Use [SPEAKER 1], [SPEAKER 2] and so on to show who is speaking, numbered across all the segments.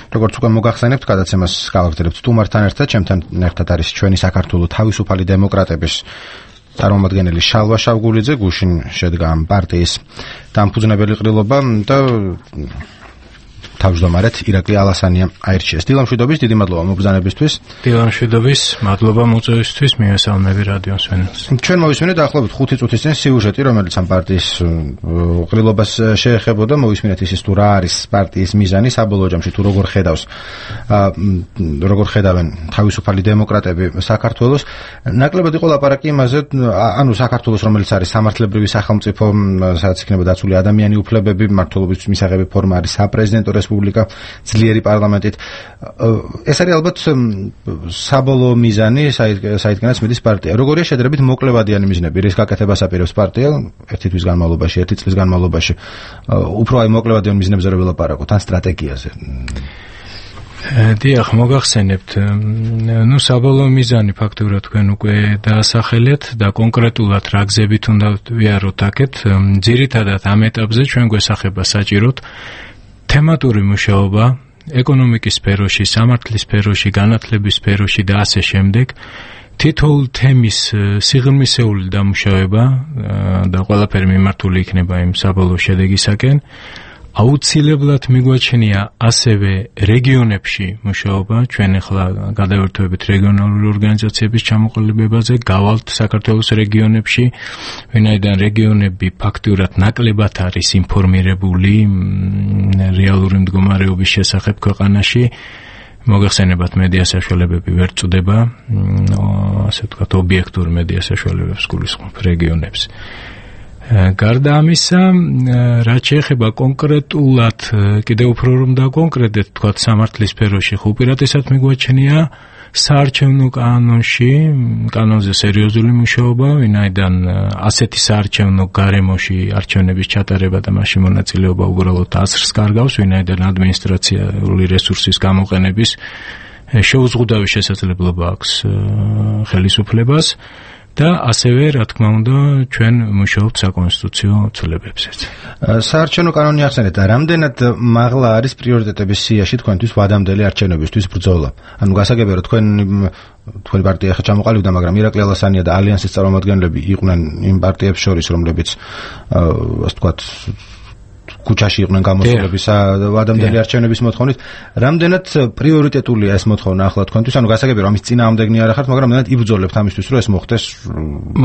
[SPEAKER 1] როგორც უკვე მოგახსენებთ, გადაცემას გავაგრძელებთ სტუმართან ერთად, ჩემთან ერთად არის ჩვენი საქართველოს თავისუფალი დემოკრატების წარმომადგენელი შალვა შავგულიძე, გუშინ შედგა ამ პარტიის დამფუძნებელი ყრილობა და თავმჯდომარედ ირაკლი ალასანია აირჩიეს. დილამშვიდობის, დიდი მადლობა მობრძანებისთვის.
[SPEAKER 2] დილამშვიდობის, მადლობა მოწვევისთვის, მივესალმები რადიო მსმენელს.
[SPEAKER 1] ჩვენ მოვისმინეთ ახლობით 5 წუთის წინ სიუჟეტი, რომელიც ამ პარტიის ყრილობას შეეხებოდა. მოვისმინეთ ის თუ რა არის პარტიის მიზანი, საბოლოო ჯამში თუ როგორ ხედავენ თავისუფალი დემოკრატები საქართველოს. ნაკლებად იყო ლაპარაკი იმაზე, ანუ საქართველოს, რომელიც არის სამართლებრივი სახელმწიფო, სადაც იქნება დაცული ადამიანი უფლებები, მმართველობის მისაღები ფორმა არის საპრეზიდენტო რესპუბლიკა, ძლიერი პარლამენტით. ეს არის ალბათ საბოლოო მიზანი, საიდანაც მიდის პარტია. როგორია შედარებით მოკლევადიანი მიზნები, რის გაკეთებას აპირებს პარტია ერთი თვის განმავლობაში, ერთი წლის განმავლობაში. უფრო აი მოკლევადიან მიზნებზე რო ველაპარაკოთ, ან სტრატეგიაზე.
[SPEAKER 2] დიახ, მოგახსენებთ. საბოლოო მიზანი ფაქტურად თქვენ უკვე დაასახელეთ და კონკრეტულად რა გზებით უნდა ვიაროთ აქეთ. ძირითადად ამ ეტაპზე ჩვენ გვესახება საჭიროდ თემატური მუშაობა ეკონომიკის სფეროში, სამართლის სფეროში, განათლების სფეროში და ასე შემდეგ. თითოეულ თემის სიღრმისეული დამუშავება და ყველაფერი მიმართული იქნება იმ საბოლოო შედეგისაკენ. აუცილებლად მიგვაჩნია ასევე რეგიონებში მუშაობა, ჩვენ ახლა გადავერთვებით რეგიონალური ორგანიზაციების ჩამოყალიბებაზე, გავალთ საქართველოს რეგიონებში, ვინაიდან რეგიონები ფაქტურად ნაკლებად არის ინფორმირებული რეალური მდგომარეობის შესახებ ქვეყანაში. მოგახსენებათ, მედია საშუალებები ვერ წვდება, ასე ვთქვათ, ობიექტური მედია საშუალებებს გულისხმობ რეგიონებს. გარდა ამისა, რაც შეეხება კონკრეტულად, კიდევ უფრო რომ დაკონკრეტდეთ, თქვათ სამართლის სფეროში, უპირატესად მიგვაჩნია საარჩევნო კანონზე სერიოზული მუშაობა, ვინაიდან ასეთი საარჩევნო გარემოში არჩევნების ჩატარება და მასში მონაწილეობა უბრალოდ აზრს კარგავს, ვინაიდან ადმინისტრაციული რესურსის გამოყენების შეუზღუდავი შესაძლებლობა აქვს ხელისუფლებას. და ასევე, რა თქმა უნდა, ჩვენ მუშაობთ საკონსტიტუციო ცვლილებებზეც.
[SPEAKER 1] საარჩევნო კანონი ახსენეთ, რამდენად მაღლა არის პრიორიტეტების სიაში თქვენთვის ვადამდელი არჩევნებისთვის ბრძოლა? ანუ გასაგებია, რომ თქვენი პარტია ახლა ჩამოყალიბდა, მაგრამ ირაკლი ალასანია და ალიანსის წარმომადგენლები იყვნენ იმ პარტიებს შორის, რომლებიც ასე ვთქვათ ქუჩაში იყვნენ გამოსულების ვადამდელი არჩევნების მოთხოვნით. რამდენად პრიორიტეტულია ეს მოთხოვნა ახლა თქვენთვის? ანუ გასაგებია, რომ ამის წინააღმდეგნი არ ახართ, მაგრამ რამდენად იბრძოლებთ ამისთვის, რომ ეს მოხდეს?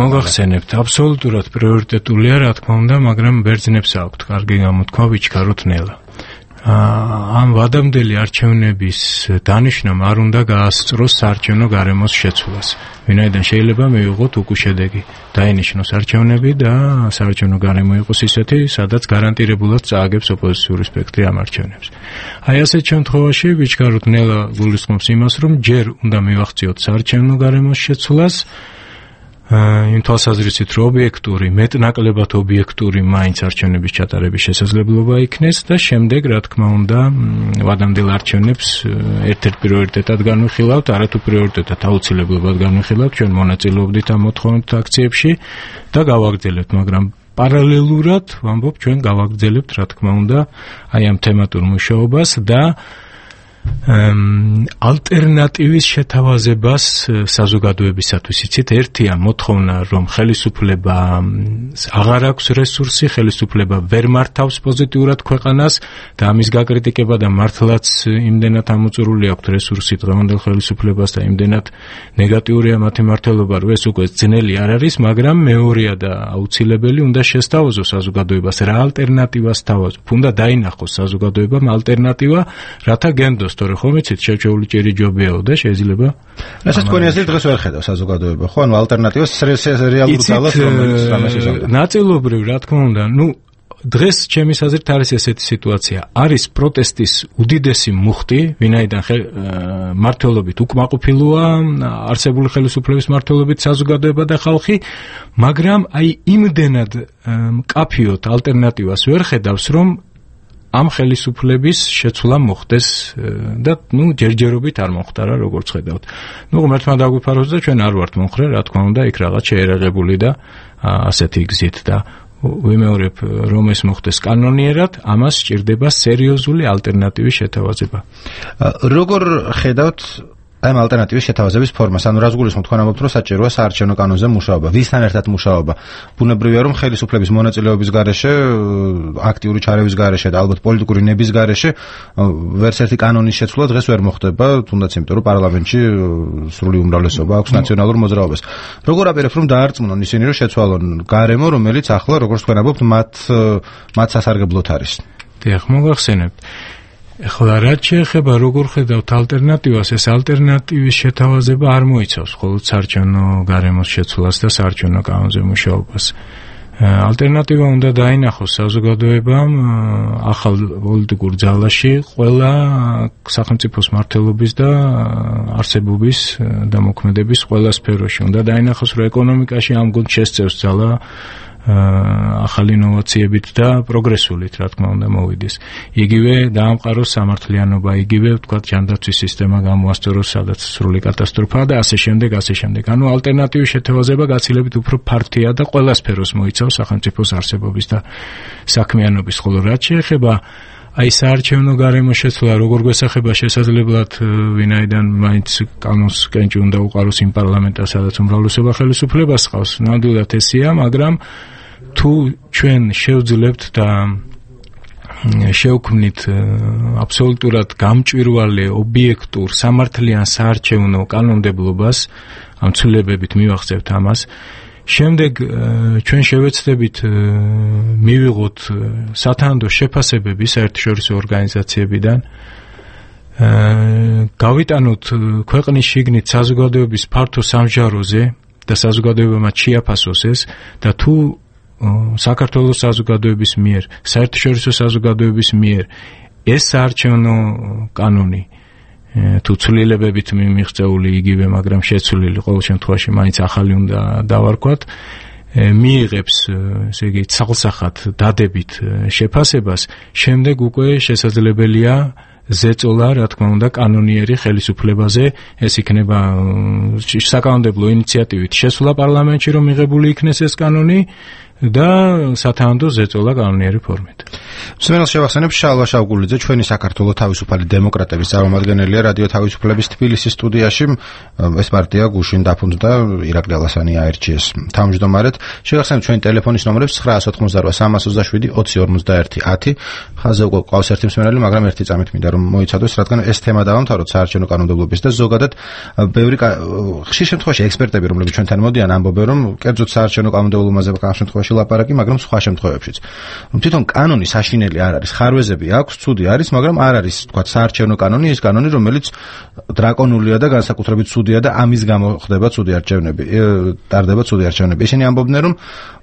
[SPEAKER 2] მოგახსენებთ, აბსოლუტურად პრიორიტეტულია, რა თქმა უნდა, მაგრამ ბერძნებს აქვთ კარგი გამოთქმა, ვიჩქაროთ ნელა. ამ ვადამდელი არჩევნების დანიშვნამ არ უნდა გაასწროს საარჩევნო გარემოს შეცვლას. ვინაიდან შეიძლება მივიღოთ უკუ შედეგი. დაინიშნოს არჩევნები და საარჩევნო გარემო იყოს ისეთი, სადაც გარანტირებულად წააგებს ოპოზიციური სპექტრი ამ არჩევნებს. აი ასეთ შემთხვევაში ვიჩქაროთ ნელა გულისხმობს იმას, რომ ჯერ უნდა მივახციოთ საარჩევნო გარემოს შეცვლას, იმ თვალსაზრისით, რომ ობიექტური, მეტნაკლებად ობიექტური მაინც არჩევნების ჩატარების შესაძლებლობა იქნეს და შემდეგ, რა თქმა უნდა, ვადამდელ არჩევნებს ერთ-ერთ პრიორიტეტად განვიხილავთ, არათუ პრიორიტეტად აუცილებლად განვიხილავთ, ჩვენ მონაწილეობდით ამ მოთხოვნით აქციებში და გავაგრძელებთ, მაგრამ პარალელურად, ვამბობ, ჩვენ გავაგრძელებთ, რა თქმა უნდა, აი ამ თემატურ მუშაობას და ალტერნატივის შეთავაზებას საზოგადოებისათვის. იცით, ერთია მოთხოვნა, რომ ხელისუფლება აღარ აქვს რესურსი, ხელისუფლება ვერ მართავს პოზიტიურად ქვეყანას და ამის გაკრიტიკება და მართლაც იმდენად ამოწურული აქვს რესურსი დღევანდელ ხელისუფლებას და იმდენად ნეგატიურია მათი მართლობა, რომ ეს უკვე ძნელი არ არის, მაგრამ მეორეა და აუცილებელი უნდა შესთავაზოს საზოგადოებას, რა ალტერნატივას თავაზობ. უნდა დაინახოს საზოგადოებამ ალტერნატივა, რათა გენდოს თორე ხომ იცით, შეჩეული ჭირი ჯობიაო და შეიძლება.
[SPEAKER 1] რასაც თქვენი აზრით დღეს ვერ ხედავს საზოგადოება, ხო? ანუ ალტერნატივას რეალურ ძალას რომელიც რამეს იზამთრებს.
[SPEAKER 2] ნაწილობრივ, რა თქმა უნდა, დღეს ჩემის აზრით არის ესეთი სიტუაცია. არის პროტესტის უდიდესი მუხტი, ვინაიდან მართლობით უკმაყოფილოა არსებული ხელისუფლების მართლობით საზოგადოება და ხალხი, მაგრამ აი იმდენად მკაფიოდ ალტერნატივას ვერ ხედავს, რომ ამ ხელისუფლების შეცვლა მოხდეს და ჯერჯერობით არ მოხდარა, როგორც ხედავთ. ღმერთმა დაგვიფაროს და ჩვენ არ ვართ მომხრე, რა თქმა უნდა, იქ რაღაც შეერაღებული და ასეთი გზით და ვიმეორებ, რომ ეს მოხდეს კანონიერად, ამას სჭირდება სერიოზული ალტერნატივის შეთავაზება.
[SPEAKER 1] როგორ ხედავთ ამ ალტერნატივის შეთავაზების ფორმას? ანუ რას გულისხმობთ, თქვენ ამბობთ, რომ საჭიროა საარჩევნო კანონზე მუშაობა, ვისთან ერთად მუშაობა? ბუნებრივია, რომ ხელისუფლების მონაწილეობის გარეშე, აქტიური ჩარევის გარეშე და ალბათ პოლიტიკური ნების გარეშე ვერც ერთი კანონის შეცვლა დღეს ვერ მოხდება, თუნდაც იმიტომ, რომ პარლამენტში სრული უმრავლესობა აქვს ნაციონალურ მოძრაობას. როგორ აპირებთ, რომ დაარწმუნონ ისინი, რომ შეცვალონ გარემო, რომელიც ახლა, როგორც თქვენ ამბობთ, მათ სასარგებლოდ არის?
[SPEAKER 2] დიახ, მოგახსენებთ. ეხლა რაც შეეხება როგორ ხედავთ ალტერნატივას, ეს ალტერნატივის შეთავაზება არ მოიცავს მხოლოდ საარჩევნო გარემოს შეცვლას და საარჩევნო კანონზე მუშაობას. ალტერნატივა უნდა დაინახოს საზოგადოებამ ახალ პოლიტიკურ ძალაში ყველა სახელმწიფოს მმართველობის და არსებობის და მოქმედების ყველა სფეროში. უნდა დაინახოს, რომ ეკონომიკაში ამ გუნდს შესწევს ძალა ახალი ინოვაციებით და პროგრესულით, რა თქმა უნდა, მოვიდეს. იგივე დაამყაროს სამართლიანობა, იგივე ვთქვათ ჯანდაცვის სისტემა გამოასწოროს, სადაც სრული კატასტროფაა და ასე შემდეგ, ასე შემდეგ. ანუ ალტერნატივის შეთავაზება გაცილებით უფრო ფართია და ყველა სფეროს მოიცავს სახელმწიფოს არსებობის და საქმიანობის. ხოლო რაც შეეხება აი საარჩევნო გარემოს შეცვლა, როგორ გვესახება შესაძლებლად ვინაიდან მაინც კანონს კენჭი უნდა უყაროს იმ პარლამენტას, სადაც უმრავლესობა ხელისუფლებას ჰყავს. ნამდვილად ესეა, მაგრამ თუ ჩვენ შევძლებთ და შევქმნით აბსოლუტურად გამჭვირვალე, ობიექტურ, სამართლიან საარჩევნო კანონმდებლობას, ამ ცვლილებებით მივახცევთ ამას, შემდეგ ჩვენ შევეცდებით მივიღოთ სათანადო შეფასებები საერთაშორისო ორგანიზაციებიდან, გავიტანოთ ქვეყნის შიგნით საზოგადოების ფართო სამჟაროზე და საზოგადოება მათ შეაფასოს ეს და თუ საქართველოს საზოგადოების მიერ, საერთაშორისო საზოგადოების მიერ ეს საარჩევნო კანონი თუ ცვლილებებით მიღწეული იგივე, მაგრამ შეცვლილი, ყოველ შემთხვევაში მაინც ახალი უნდა დავარქვათ, მიიღებს, ესე იგი, ცალსახად დადებით შეფასებას, შემდეგ უკვე შესაძლებელია ზეწოლა, რა თქმა უნდა, კანონიერი ხელისუფლებაზე, ეს იქნება საკანონმდებლო ინიციატივით შესვლა პარლამენტში, რომ მიღებული იქნეს ეს კანონი და სათანადო ზეწოლა კანონიერი ფორმით.
[SPEAKER 1] მსმენელს შევახსენებ, შალვა შავგულიძე, ჩვენი საქართველოს თავისუფალი დემოკრატების წარმომადგენელია რადიო თავისუფლების თბილისის სტუდიაში. ეს პარტია გუშინ დაფუძნდა, ირაკლი ალასანი აერჩიეს თავმჯდომარედ. შევახსენებ ჩვენი ტელეფონის ნომრებს 988-350-21-10. ხაზზე უკვე ყავს ერთი მსმენელი, მაგრამ ერთი წამით მინდა რომ მოიცადოს, რადგან ეს თემა დავამთავროთ საარჩევნო კანონმდებლობის და ზოგადად ბევრი ხშირ შემთხვევაში ექსპერტები, რომლებიც ჩვენთან მოდიან, ამბობენ, რომ კერძოდ საარჩევნო კანონმდებლობაზე ამ შემთხვევაში ლაპარაკი, მაგრამ სხვა შემთხვევებშიც. თვითონ კანონი საშინელი არ არის, ხარვეზები აქვს, ცუდი არის, მაგრამ არ არის, თქვათ, საარჩევნო კანონი, ის კანონი, რომელიც დრაკონულია და განსაკუთრებით ცუდია და ამის გამო ხდება ცუდი არჩევნები, ტარდება ცუდი არჩევნები. ისინი ამბობდნენ, რომ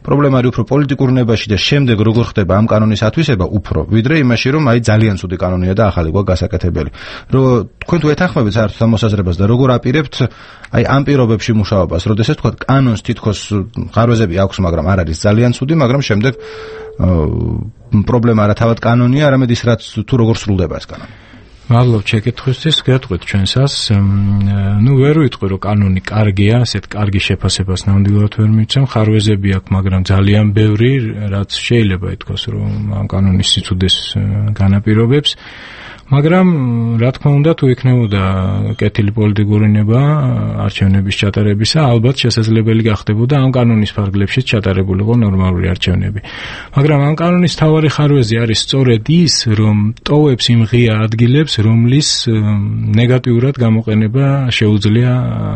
[SPEAKER 1] პრობლემა არის უფრო პოლიტიკურ ნებაში და შემდეგ როგორ ხდება ამ კანონის ათვისება უფრო, ვიდრე იმაში, რომ აი ძალიან ცუდი კანონია და ახალი გვაქვს გასაკეთებელი. რომ თქვენ თუ ეთანხმებით საერთოდ ამ მოსაზრებას და როგორ აპირებთ აი ამ პირობებში მუშაობას, როდესაც თქვათ კანონს თითქოს ხარვეზები აქვს, მაგრამ არ არის ძალიან ცუდი, მაგრამ შემდეგ პრობლემა არა თავად კანონია, არამედ ის რაც თუ როგორ სრულდება ეს კანონი.
[SPEAKER 2] მადლობ შეკითხვისთვის, გეტყვით ჩვენსას. ვერ ვიტყვი, რომ კანონი კარგია, ასეთ კარგი შეფასებას ნამდვილად ვერ მიცემ, ხარვეზები აქვს, მაგრამ ძალიან ბევრი, რაც შეიძლება ითქვას, რომ ამ კანონის სიცუდეს განაპირობებს. მაგრამ რა თქმა უნდა, თუ იქნებოდა კეთილი პოლიტიკური ნება არჩევნების ჩატარებისა, ალბათ შესაძლებელი გახდებოდა ამ კანონის ფარგლებშიც ჩატარებულიყო ნორმალური არჩევნები. მაგრამ ამ კანონის მთავარი ხარვეზი არის სწორედ ის, რომ ტოვებს იმ ღია ადგილებს, რომლის ნეგატიურად გამოყენება შეუძლია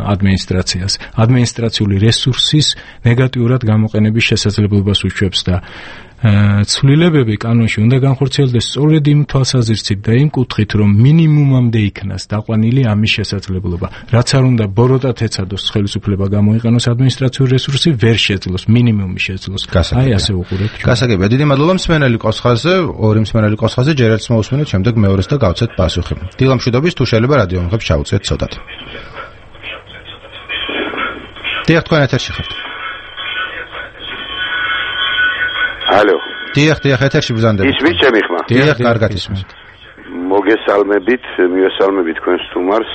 [SPEAKER 2] ადმინისტრაციას. ადმინისტრაციული რესურსის ნეგატიურად გამოყენების შესაძლებლობას უშვებს და ცვლილებები კანონში უნდა განხორციელდეს სწორედ იმ თვალსაზრისით და იმ კუთხით, რომ მინიმუმამდე იქნას დაყვანილი ამის შესაძლებლობა. რაც არ უნდა ბოროტად ეცადოს ხელისუფლება გამოიყენოს ადმინისტრაციული რესურსი, ვერ შეძლოს, მინიმუმი შეძლოს. აი ასე უყურებთ.
[SPEAKER 1] გასაგებია. დიდი მადლობა მსმენელი ყავს ხაზზე, ორი მსმენელი ყავს ხაზზე, ჯერ ერთს მოусმინოთ, შემდეგ მეორეს და გავცეთ პასუხი. დილამშვიდობის, თუ შეიძლება რადიო მომხებს ჩაუწიეთ ცოტათ. დიახ, თქვენ ეთერში ხართ.
[SPEAKER 3] ალო.
[SPEAKER 1] დიახ, ეთერში ბრძანდებით.
[SPEAKER 3] ისმის ჩემი ხმა?
[SPEAKER 1] დიახ, კარგად ისმის.
[SPEAKER 3] მოგესალმებით, მივესალმებით თქვენს სტუმარს.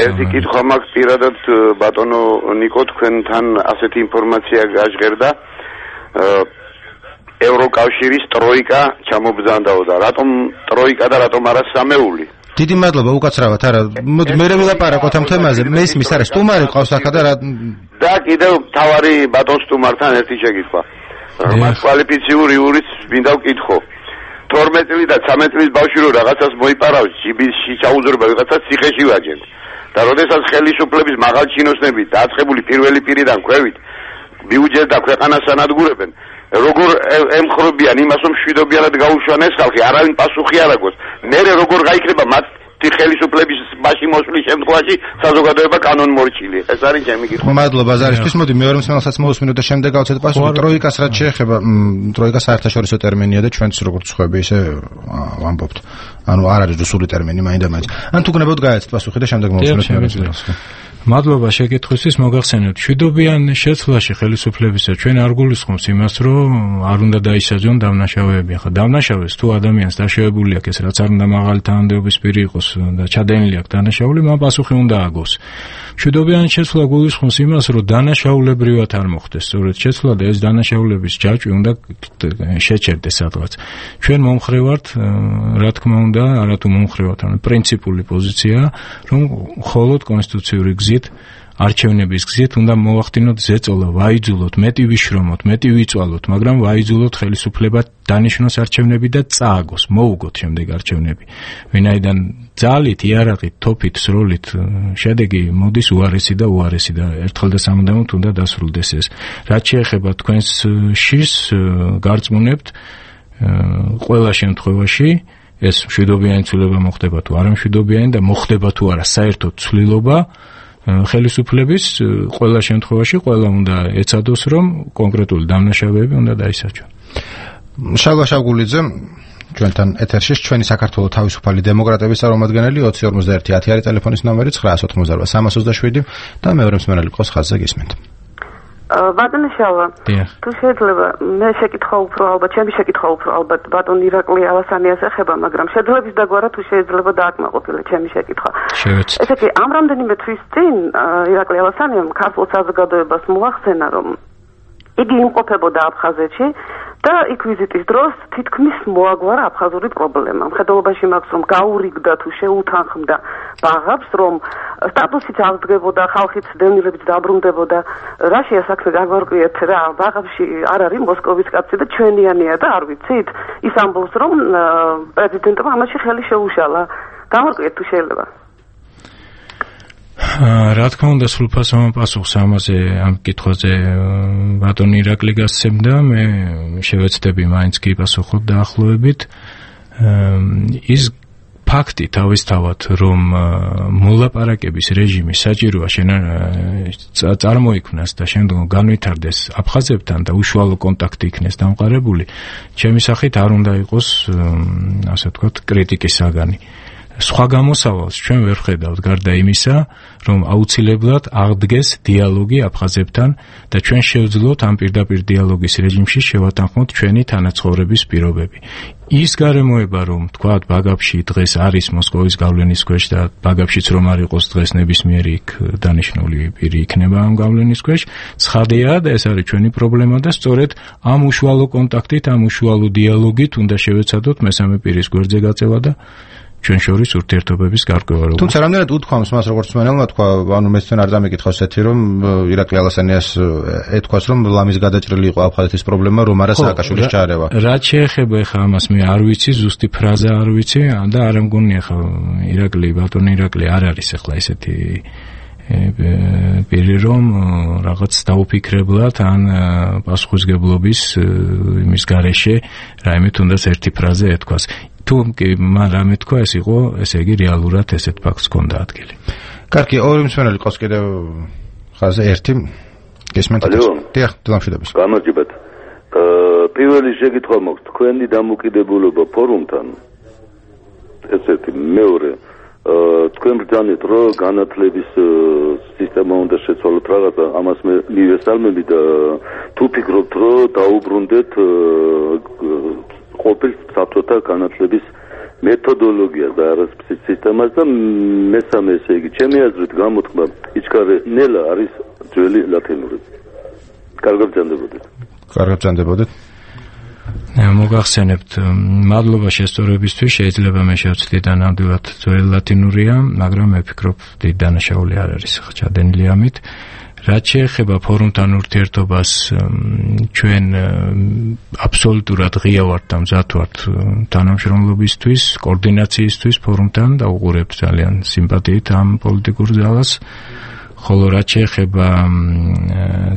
[SPEAKER 3] ერთი კითხვა მაქვს პირადად ბატონო ნიკო, თქვენთან ასეთი ინფორმაცია გაჟღერდა. ევროკავშირის ტროიკა ჩამობრძანდაოდა. რატომ ტროიკა და რატომ არა სამეული?
[SPEAKER 1] დიდი მადლობა უკაცრავად არა. მოდი მე ვილაპარაკოთ ამ თემაზე. მე ისმის არა სტუმარი ყავს ახლა
[SPEAKER 3] და კიდევ თავარი ბატონ სტუმართან ერთი შეკითხვა. მას კვალიფიციური იურის მინდა ვკითხო. 12 წელი და 13 წლის ბავშვი რო რაღაცას მოიპარავს, ჯიბისში ჩაუძრება ვიღაცას ციხეში ვაჯენ. და როდესაც ხელისუფლების მაღალჩინოსნები დაწყებული პირველი პირიდან ქვევით ბიუჯეტს და ქვეყანას ანადგურებენ, როგორ ემხრობიან იმას, რომ მშვიდობიანად გაუშვან ეს ხალხი, არავინ პასუხი არ აქვს. მერე როგორ გაიქნება მათი ხელისუფლების მასში მოსვლის შემთხვევაში საზოგადოება კანონმორჩილი? ეს არის ჩემი კითხვა.
[SPEAKER 1] მადლობა ზარისთვის. მოდი მეორე მსმენელსაც მოვუსმინოთ და შემდეგ გავცეთ პასუხი. ტროიკას რაც შეეხება, ტროიკა საერთაშორისო ტერმინია და ჩვენც როგორც ხვები ისე ვამბობთ. ანუ არ არის რუსული ტერმინი მაინდა-მაინც. ან თუ გნებოდ გაეცეთ პასუხი და შემდეგ მოვუსმინოთ მეორე მსმენელს.
[SPEAKER 2] მადლობა შეკითხვისთვის. მოგახსენებთ, მშვიდობიან შეცვლაში ხელისუფლებისა ჩვენ არ გულისხმობს იმას, რომ არ უნდა დაისაჯონ დამნაშავეები. ახლა დამნაშავეს თუ ადამიანს დაშავებული აქვს, ეს რაც არ უნდა მაღალი თანამდებობის პირი იყოს და ჩადენილი აქვს დანაშაული, მან პასუხი უნდა აგოს. მშვიდობიან შეცვლა გულისხმობს იმას, რომ დანაშაულებრივად არ მოხდეს. სწორედ შეცვლა და ეს დანაშაულების ჯაჭვი უნდა შეჩერდეს სადღაც. ჩვენ მომხრე ვართ, რა თქმა უნდა, არათუ მომხრე ვართ, ანუ პრინციპული პოზიცია, რომ მხოლოდ კონსტიტუციური არჩევნების გზით უნდა მოვახდინოთ ზეწოლა, ვაიძულოთ, მეტი ვიშრომოთ, მეტი ვიწვალოთ, მაგრამ ვაიძულოთ ხელისუფლება დანიშნოს არჩევნები და წააგოს, მოუგოთ შემდეგ არჩევნები. ვინაიდან ძალით, იარაღით, თოფით, სროლით შედეგი მოდის უარესი და ერთხელ და სამუდამოდ უნდა დასრულდეს ეს. რაც შეეხება თქვენს შიშს გარწმუნებთ, ყველა შემთხვევაში ეს მშვიდობიანი ცვლილება მოხდება თუ არა მშვიდობიანი და მოხდება თუ არა საერთოდ ცვლილობა ხელისუფლების ყველა შემთხვევაში ყველა უნდა ეცადოს რომ კონკრეტული დამნაშავეები უნდა დაისაჯონ.
[SPEAKER 1] შალვა შავგულიძე ჩვენთან ეთერში ჩვენი საქართველოს თავისუფალი დემოკრატების წარმომადგენელი 2051 10 არის ტელეფონის ნომერი 988 327 და მეორე მსმენელი ყავს ხაზზე გისმენთ.
[SPEAKER 4] ბატონო შალვა, თუ შეიძლება მე შეკითხვა უფრო ალბათ, ჩემი შეკითხვა უფრო ალბათ ბატონ ირაკლი ალასანიას ეხება, მაგრამ შეძლების დაგვარა თუ შეიძლება დააკმაყოფილო ჩემი შეკითხვა. ესე იგი, ამ რამდენიმე თვის წინ ირაკლი ალასანიამ ქართულ საზოგადოებას მოახსენა, რომ იგი იმყოფებოდა აფხაზეთში და იქ ვიზიტის დროს თითქმის მოაგვარა აფხაზური პრობლემა. მხედველობაში მაქვს რომ გაურიგდა თუ შეუთანხმდა ბაღებს, რომ სტატუსიც აღდგებოდა, ხალხიც დევნილებიც დაბრუნდებოდა. რაშია საქმე გაგვარკვიეთ რა, ბაღებში არ არის მოსკოვის კაცი და ჩვენიანია და არ ვიცით. ის ამბობს რომ პრეზიდენტმა ამაში ხელი შეუშალა. გამარკვიეთ თუ შეიძლება.
[SPEAKER 2] რა თქმა უნდა სრულფასოვან პასუხს ამაზე ამ კითხვაზე ბატონ ირაკლი გასცემდა, მე შევეცდები მაინც კი პასუხობ დაახლოებით. ის ფაქტი თავისთავად რომ მოლაპარაკების რეჟიმი საჭიროა წარმოიქმნას და შემდგომ განვითარდეს აფხაზებთან და უშუალო კონტაქტი იქნეს დამყარებული, ჩემი სახით არ უნდა იყოს ასე ვთქვათ კრიტიკის საგანი. სხვა გამოსავალს ჩვენ ვერ ხედავთ გარდა იმისა, რომ აუცილებლად აღდგეს დიალოგი აფხაზებთან და ჩვენ შევძლოთ ამ პირდაპირ დიალოგის რეჟიმში შევათანხმოთ ჩვენი თანაცხოვრების პირობები. ის გარემოება, რომ თქვათ ბაგაფში დღეს არის მოსკოვის გავლენის ქვეშ და ბაგაფშიც რომ არ იყოს დღეს ნებისმიერი იქ დანიშნული პირი იქნება ამ გავლენის ქვეშ, ცხადია და ეს არის ჩვენი პრობლემა და სწორედ ამ უშუალო კონტაქტით, ამ უშუალო დიალოგით უნდა შევეცადოთ მესამე პირის გვერდზე გაწევა და ჩვენ შორის ურთიერთობების გარკვევა.
[SPEAKER 1] თუმცა რამდენად უთქვამს მას როგორც მენელმა თქვა, ანუ მეც თან არ დამეკითხავს ეთი რომ ირაკლი ალასანიას ეთქვას რომ ლამის გადაჭრილი იყო აფხაზეთის პრობლემა, რომ არა სააკაშვილის ჩარევა.
[SPEAKER 2] რაც შეეხება ხა ამას მე არ ვიცი, ზუსტი ფრაზა არ ვიცი და არ მგონია ხა ირაკლი ბატონი ირაკლი არ არის ახლა ესეთი პირი რომ რაღაც დაუფიქრებლად ან პასუხისგებლობის იმის გარეშე რაიმე თუნდაც ერთი ფრაზა ეთქვას. თუ რამე თქვა ეს იყო, ესე იგი რეალურად ესეთ ფაქტს ჰქონდა ადგილი.
[SPEAKER 1] კარგი, ორი მსმენელი ყავს კიდევ ხაზზე ერთი. გესმენთ? დიახ, დამშვიდობის.
[SPEAKER 5] გამარჯობათ. პირველი შეკითხვა მაქვს, თქვენი დამოკიდებულება ფორუმთან. ესეთი მეორე თქვენ ბრძანეთ რომ განათლების სისტემა უნდა შეცვალოთ რაღაცა, ამას მე მივესალმები და თუ ფიქრობთ რომ დაუბრუნდეთ ყოფილ საბჭოთა განათლების მეთოდოლოგიას და არა სისტემას და მესამე ესე იგი ჩემი აზრით გამოთქმა იჩქარე ნელა არის ძველი ლათინური. კარგად ბრძანდებოდეთ.
[SPEAKER 1] კარგად ბრძანდებოდეთ.
[SPEAKER 2] მოგახსენებთ, მადლობა შესწორებისთვის, შეიძლება მე შევცდე და ნამდვილად ძველი ლათინურია, მაგრამ მე ვფიქრობ, დიდი დანაშაული არ არის ჩადენილი ამით. რაც შეეხება ფორუმთან ურთიერთობას, ჩვენ აბსოლუტურად ღია ვართ და მზად ვართ თანამშრომლობისთვის, კოორდინაციისთვის ფორუმთან და უყურებთ ძალიან სიმპათიით ამ პოლიტიკურ ძალას. ხოლო რაც შეეხება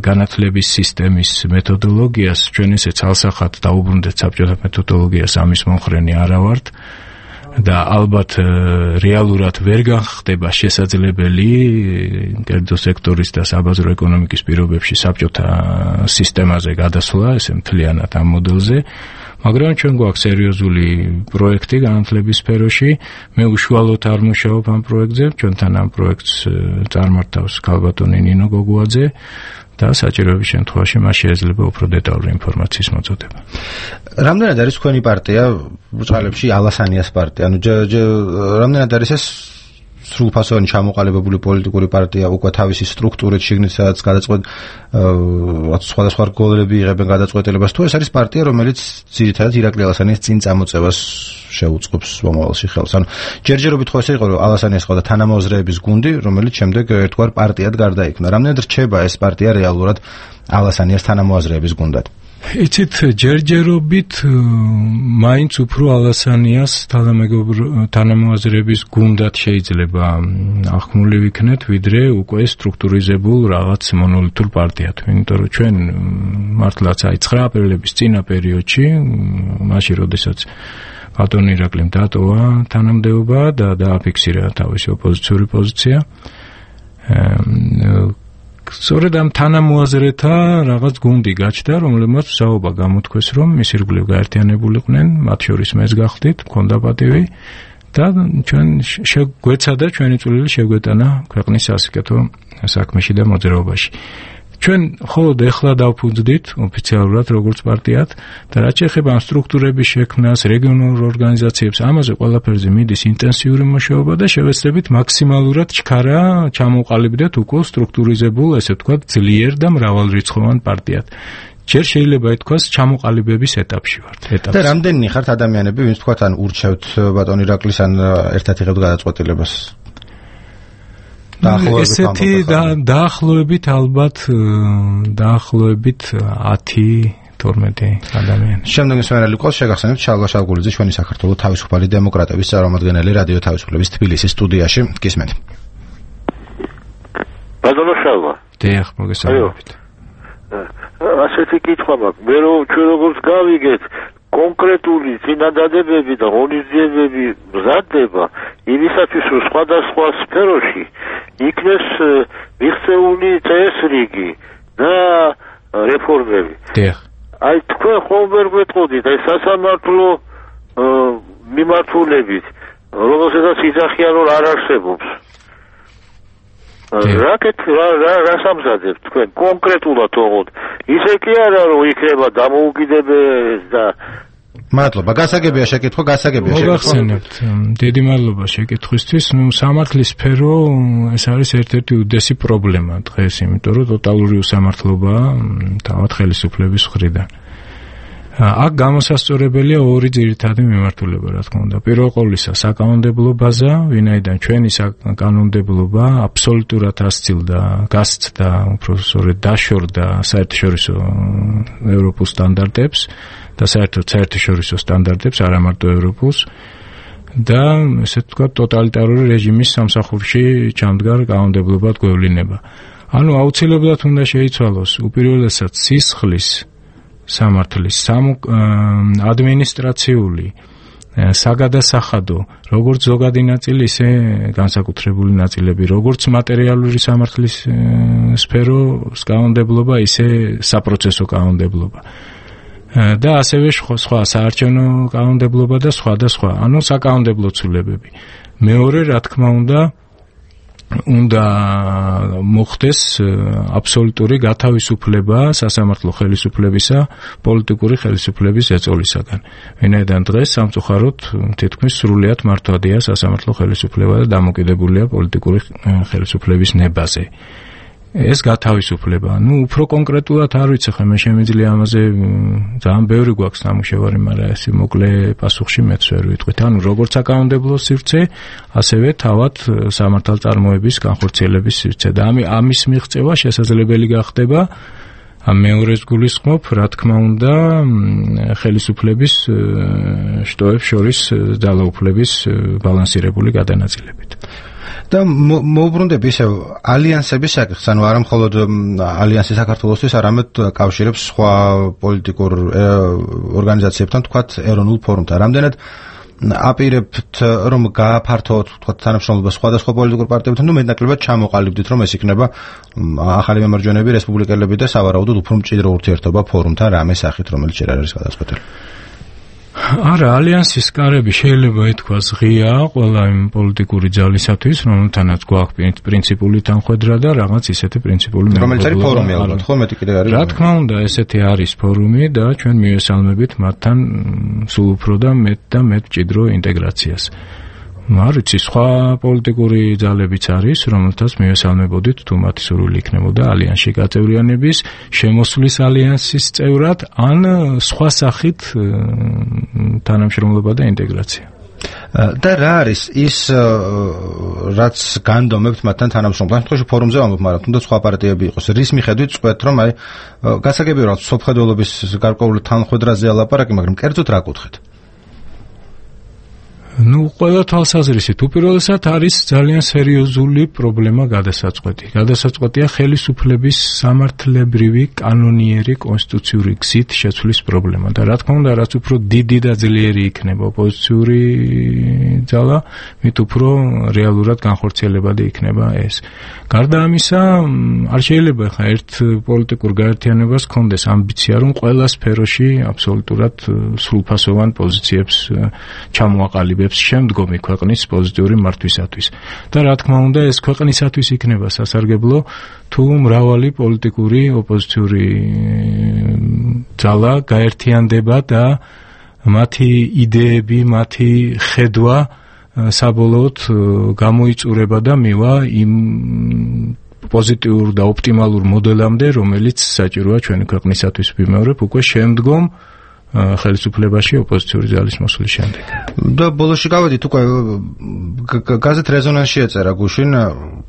[SPEAKER 2] განათლების სისტემის მეთოდოლოგიას, ჩვენ ესე ცალსახად დაუბრუნდეთ საბჭოთა მეთოდოლოგიას, ამის მომხრენი არა ვართ და ალბათ რეალურად ვერ განხდება შესაძლებელი კერძო სექტორის და საბაზრო ეკონომიკის პირობებში საბჭოთა სისტემაზე გადასვლა, ესე მთლიანად ამ მოდელზე. მაგრამ ჩვენ გვაქვს სერიოზული პროექტი განათლების სფეროში. მე უშუალოდ არ მუშაობ ამ პროექტზე, ჩვენთან ამ პროექტს წარმართავს ქალბატონი ნინო გოგუაძე და საჭიროების შემთხვევაში მას შეიძლება უფრო დეტალური ინფორმაციის მოწოდება.
[SPEAKER 1] რამდენად არის თქვენი პარტია ბრწყალებში ალასანიას პარტია? ანუ რამდენად არის ეს სრულფასოვანი ჩამოყალიბებული პოლიტიკური პარტია უკვე თავისი სტრუქტურით შიგნით სადაც გადაწყვეტ სხვადასხვა რგოლები იღებენ გადაწყვეტილებას, თუ ეს არის პარტია, რომელიც ძირითადად ირაკლი ალასანიას წინ წამოწევას შეუწყობს მომავალში ხელს. ანუ ჯერჯერობით ხო ესე იყო, რომ ალასანიას ყავდა თანამოაზრეების გუნდი, რომელიც შემდეგ ერთგვარ პარტიად გარდაიქმნა. რამდენად რჩება ეს პარტია რეალურად ალასანიას თანამოაზრეების გუნდად?
[SPEAKER 2] იცით, ჯერჯერობით მაინც უფრო ალასანიას თანამოაზრეების გუნდად შეიძლება ახმული ვიქნეთ, ვიდრე უკვე სტრუქტურიზებულ რაღაც მონოლითურ პარტიად. იმიტომ რომ ჩვენ მართლაც 9 აპრილების წინა პერიოდში, მაშინ როდესაც ბატონ ირაკლიმ დატოვა თანამდებობა და დააფიქსირა თავისი ოპოზიციური პოზიცია, სწორედ ამ თანამოაზრეთა რაღაც გუნდი გაჩნდა, რომლებმაც საუბა გამოთქვეს, რომ მის ირგვლივ გაერთიანებულიყვნენ, მათ შორის მეც გახდით, მქონდა პატივი და ჩვენ შეგვეცადა ჩვენი წვლილი შეგვეტანა ქვეყნის სასიკეთო საქმეში და მოძრაობაში. ჩვენ მხოლოდ ეხლა დავფუძდით ოფიციალურად როგორც პარტიად და რაც შეეხება ამ სტრუქტურების შექმნას, რეგიონულ ორგანიზაციებს, ამაზე ყველაფერზე მიდის ინტენსიური მუშაობა და შევეცდებით მაქსიმალურად ჩქარა ჩამოყალიბდეთ უკვე სტრუქტურიზებულ, ესე ვთქვათ, ძლიერ და მრავალრიცხოვან პარტიად. ჯერ შეიძლება ითქვას ჩამოყალიბების ეტაპში ვართ.
[SPEAKER 1] და რამდენი ხართ ადამიანები, ვინც თქვათ ან ურჩევთ ბატონ ირაკლის ან ერთად იღებთ გადაწყვეტილებას?
[SPEAKER 2] ესეთი დაახლოებით ალბათ 10-12 ადამიანი.
[SPEAKER 1] შემდეგი მსმენელი ყავს შეგახსენებთ შალვა შალგულიძე, ჩვენი საქართველოს თავისუფალი დემოკრატების წარმომადგენელი რადიო თავისუფლების თბილისის სტუდიაში. გისმენთ.
[SPEAKER 5] ბატონო შალვა.
[SPEAKER 2] დიახ, მოგესალმებით.
[SPEAKER 5] ასეთი კითხვა მაქვს. მე ჩვენ როგორც გავიგეთ, კონკრეტული წინადადებები და ღონისძიებები მზადდება იმისათვის, რომ სხვადასხვა სფეროში იქნეს მიღწეული წესრიგი და რეფორმები.
[SPEAKER 2] დიახ.
[SPEAKER 5] აი თქვენ ხოლმე გვეტყოდით, აი სასამართლო მიმართულებით, რომელსაც იძახიან, რომ არ არსებობს. რა სამზადებ თქვენ კონკრეტულად ოღონდ? ისე კი არა, რომ იქნება დამოუკიდებელი და
[SPEAKER 1] მადლობა, გასაგებია შეკითხვა,
[SPEAKER 2] მოგახსენებთ. დიდი მადლობა შეკითხვისთვის. სამართლის სფერო ეს არის ერთ-ერთი უდიდესი პრობლემა დღეს, იმიტომ რომ ტოტალური უსამართლობაა თავად ხელისუფლების მხრიდან. აქ გამოსასწორებელია ორი ძირითადი მიმართულება, რა თქმა უნდა. პირველ ყოვლისა საკანონმდებლო ბაზა, ვინაიდან ჩვენი საკანონმდებლობა აბსოლუტურად ასწილდა, გასცდა, უფრო სწორედ დაშორდა საერთაშორისო ევროპულ სტანდარტებს და საერთაშორისო სტანდარტებს, არა მარტო ევროპულს და ესე ვთქვათ ტოტალიტარული რეჟიმის სამსახურში ჩამდგარ კანონმდებლობად გვევლინება. ანუ აუცილებლად უნდა შეიცვალოს უპირველესად სისხლის სამართლის, ადმინისტრაციული, საგადასახადო, როგორც ზოგადი ნაწილი, ისე განსაკუთრებული ნაწილები, როგორც მატერიალური სამართლის სფეროს კანონმდებლობა, ისე საპროცესო კანონმდებლობა. და ასევე სხვა საარჩევნო კანონმდებლობა და სხვა, ანუ საკანონმდებლო ცვლილებები. მეორე, რა თქმა უნდა მოხდეს აბსოლუტური გათავისუფლება სასამართლო ხელისუფლებისა პოლიტიკური ხელისუფლების ეწოლისაგან. ვინაიდან დღეს სამწუხაროდ თითქმის სრულიად მართვადია სასამართლო ხელისუფლება და დამოკიდებულია პოლიტიკური ხელისუფლების ნებაზე. ეს გათავისუფლება. უფრო კონკრეტულად არ ვიცი ხე მე შემიძლია ამაზე ძალიან ბევრი გვაქვს ნამუშევარი, მაგრამ ეს მოკლე პასუხში მეც ვერ ვიტყვით. როგორც საკანონმდებლო სივრცე, ასევე თავად სამართალწარმოების განხორციელების სივრცე და ამის მიღწევა შესაძლებელი გახდება მეორეს გულისხმობ, რა თქმა უნდა, ხელისუფლების შტოებს შორის ძალაუფლების ბალანსირებული გადანაწილებით.
[SPEAKER 1] და მოუბრუნდები ისევ ალიანსების საკითხს, ანუ არა მხოლოდ ალიანსი საქართველოსთვის, არამედ კავშირებს სხვა პოლიტიკურ ორგანიზაციებთან, თქვათ ეროვნულ ფორუმთან. რამდენად აპირებთ რომ გააფართოვოთ თქვათ თანამშრომლობა სხვადასხვა პოლიტიკურ პარტიებთან, თუ მეტნაკლებად ჩამოყალიბდით რომ ეს იქნება ახალი მემარჯვენეები, რესპუბლიკელები და სავარაუდოდ უფრო მჭიდრო ურთიერთობა ფორუმთან რამე სახით, რომელიც ჯერ არ არის გადაწყვეტილი.
[SPEAKER 2] არა, ალიანსის კარები შეიძლება ითქვას ღია ყველა იმ პოლიტიკური ძალისათვის, რომელთანაც გვაქვს პრინციპული თანხმედრა და რაღაც ისეთი პრინციპული მემორანდუმი.
[SPEAKER 1] რომელიც არის ფორუმი ალბათ, ხო, მეტი კიდე არის.
[SPEAKER 2] რა თქმა უნდა, ესეთი არის ფორუმი და ჩვენ მივესალმებით მათთან სულ უფრო და მეტ მჭიდრო ინტეგრაციას. არ ვიცი, სხვა პოლიტიკური ძალებიც არის, რომელთაც მივესალმებოდით თუ მათი სურვილი იქნებოდა ალიანსში გაწევრიანების, შემოსვლის ალიანსის წევრად, ან სხვა სახით თანამშრომლობა და ინტეგრაცია.
[SPEAKER 1] და რა არის ის რაც განდომებთ მათთან თანამშრომლობას? შემთხვევაში ფორუმზე ვამბობ, მაგრამ თუნდაც სხვა პარტიები იყოს. რის მიხედვით წყვეთ, რომ გასაგებია რომ სოფხედველობის გარკვეული თანხმედრაზე ალაპარაკი, მაგრამ კერძოდ რა კუთხით?
[SPEAKER 2] ყველა თვალსაზრისით უპირველესად არის ძალიან სერიოზული პრობლემა გადასაწყვეტი. გადასაწყვეტია ხელისუფლების სამართლებრივი, კანონიერი, კონსტიტუციური გზით შეცვლის პრობლემა და რა თქმა უნდა, რაც უფრო დიდი და ძლიერი იქნება ოპოზიციური ძალა, მით უფრო რეალურად განხორციელებადი იქნება ეს. გარდა ამისა, არ შეიძლება ხა ერთ პოლიტიკურ გაერთიანებას ჰქონდეს ამბიცია, რომ ყველა სფეროში აბსოლუტურად სრულფასოვან პოზიციებს ჩამოაყალიბებს შემდგომი ქვეყნის პოზიტიური მართვისათვის. და რა თქმა უნდა, ეს ქვეყნისათვის იქნება სასარგებლო, თუ მრავალი პოლიტიკური ოპოზიციური ძალა გაერთიანდება და მათი იდეები, მათი ხედვა საბოლოოდ გამოიწურება და მივა იმ პოზიტიურ და ოპტიმალურ მოდელამდე, რომელიც საჭიროა ჩვენი ქვეყნისათვის, ვიმეორებ, უკვე შემდგომ ხელისუფლებაში ოპოზიციური ძალის მოსვლის შემდეგ.
[SPEAKER 1] და ბოლოში გავედით უკვე გაზეთ რეზონანსში ეწერა გუშინ,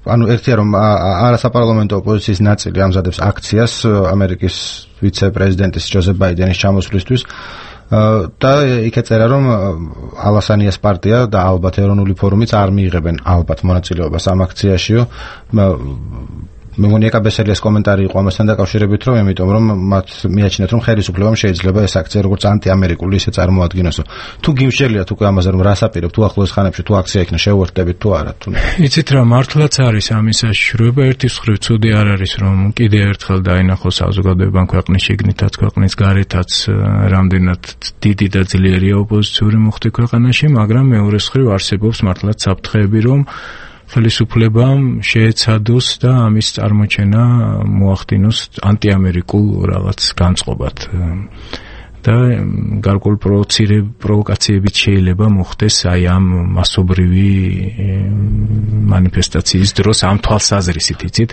[SPEAKER 1] ანუ ერთია რომ არასაპარლამენტო ოპოზიციის ნაწილი ამზადებს აქციას ამერიკის ვიცე-პრეზიდენტის ჯოზეფ ბაიდენის ჩამოსვლისთვის და იქ ეწერა რომ ალასანიას პარტია და ალბათ ეროვნული ფორუმიც არ მიიღებენ ალბათ მონაწილეობას ამ აქციაშიო. მე მგონი ეკაბესელიას კომენტარი იყო ამასთან დაკავშირებით, რომ იმიტომ რომ მათ მიაჩნიათ რომ ხელისუფლებამ შეიძლება ეს აქცია როგორც ანტიამერიკული ისე წარმოადგინოს. თუ გიმშელია თუ ამაზე რომ რას აპირებ, თუ ახლოს ხანებში თუ აქცია იქნა შეუერთდებით თუ არა თუ.
[SPEAKER 2] იცით რა, მართლაც არის ამის საშიშროება. ერთის მხრივ ცუდი არ არის რომ კიდე ერთხელ დაინახოს საზოგადოებამ ქვეყნის შიგნითაც ქვეყნის გარეთაც რამდენად დიდი და ძლიერია ოპოზიციური მუხტი ქვეყანაში, მაგრამ მეორეს მხრივ არსებობს მართლაც საფრთხეები რომ ხელისუფლებამ შეეცადოს და ამის წარმოჩენა მოახდინოს ანტიამერიკულ რაღაც განწყობად და გარკვეულ პროვოკაციებით შეიძლება მოხდეს აი ამ მასობრივი მანიფესტაციის დროს ამ თვალსაზრისით, იცით?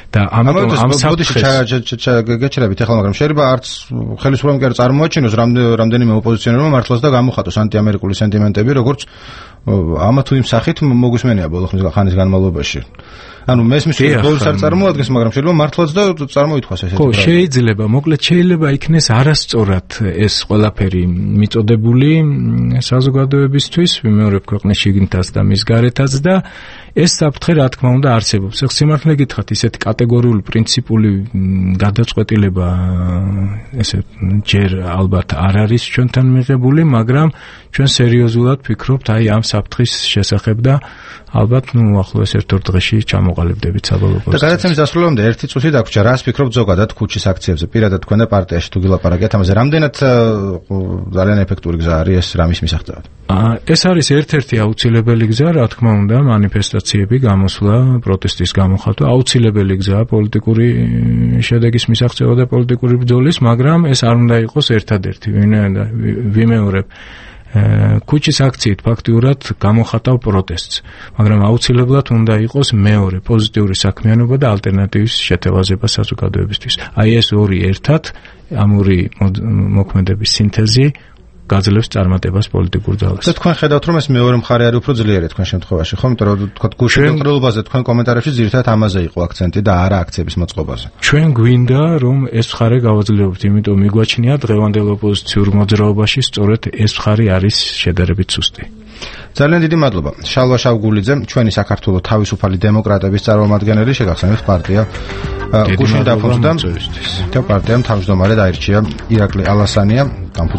[SPEAKER 2] და ამიტომ ამ საფრთხეს
[SPEAKER 1] გეჩერებით ახლა, მაგრამ შეიძლება არც ხელისუფლებამ კი არ წარმოაჩინოს რამდენიმე ოპოზიციონერმა მართლაც და გამოხატოს ანტიამერიკული სენტიმენტები, როგორც ამა თუ იმ სახით მოგუსმენია ბოლო ხნის განმავლობაში. ანუ მესმის ბოლოს არ წარმოადგენს, მაგრამ შეიძლება მართლაც და წარმოითქვას ესეთი.
[SPEAKER 2] ხო, შეიძლება, მოკლედ შეიძლება იქნეს არასწორად ეს ყველაფერი მიწოდებული საზოგადოებისთვის, ვიმეორებ ქვეყნის შიგნითაც და მის გარეთაც და ეს საფრთხე რა თქმა უნდა არსებობს. სიმართლე გითხრათ, ისეთი კატეგორიული პრინციპული გადაწყვეტილება ესე ჯერ ალბათ არ არის ჩვენთან მიღებული, მაგრამ ჩვენ სერიოზულად ვფიქრობთ აი ამ საფრთხის შესახებ და ალბათ ახლოს ერთ-ორ დღეში ჩამოყალიბდებით საბოლოო პოზიციას.
[SPEAKER 1] და გადაცემის დასრულებამდე ერთი წუთი დაგვრჩა, რას ფიქრობთ ზოგადად ქუჩის აქციებზე, პირადად თქვენ და პარტიაში თუ გილაპარაკეთ ამაზე, რამდენად ძალიან ეფექტური გზა არის ეს რამის მისაღწევად?
[SPEAKER 2] ეს არის ერთ-ერთი აუცილებელი გზა, რა თქმა უნდა, მანიფესტაციები, გამოსვლა, პროტესტის გამოხატვა, აუცილებელი გზაა პოლიტიკური შედეგის მისაღწევა და პოლიტიკური ბრძოლის, მაგრამ ეს არ უნდა იყოს ერთადერთი, ვიმეორებ. ქუჩის აქციით ფაქტიურად გამოხატავ პროტესტს, მაგრამ აუცილებლად უნდა იყოს მეორე პოზიტიური საქმიანობა და ალტერნატივის შეთევაზება საზოგადოებისთვის. აი ეს ორი ერთად, ამ ორი მოქმედების სინთეზი გაძლევს წარმატებას პოლიტიკურ ძალას.
[SPEAKER 1] და თქვენ ხედავთ, რომ ეს მეორე მხარე არის უფრო ძლიერი თქვენ შემთხვევაში, ხო? იმიტომ რომ თქვა გუშინდელობაზე თქვენ კომენტარებში ძირითადად ამაზე იყო აქცენტი და არა აქციების მოწყობაზე.
[SPEAKER 2] ჩვენ გვინდა რომ ეს მხარე გავაძლევოთ, იმიტომ მიგვაჩნია დღევანდელ ოპოზიციურ მოძრაობაში სწორედ ეს მხარე არის შედარებით სუსტი.
[SPEAKER 1] ძალიან დიდი მადლობა. შალვა შავგულიძე, ჩვენი საქართველოს თავისუფალი დემოკრატების წარმომადგენელი, შეგახსენებთ პარტია გუშინ დაფუძნდა და პარტიამ თავმჯდომარედ აირჩია ირაკლი ალასანია.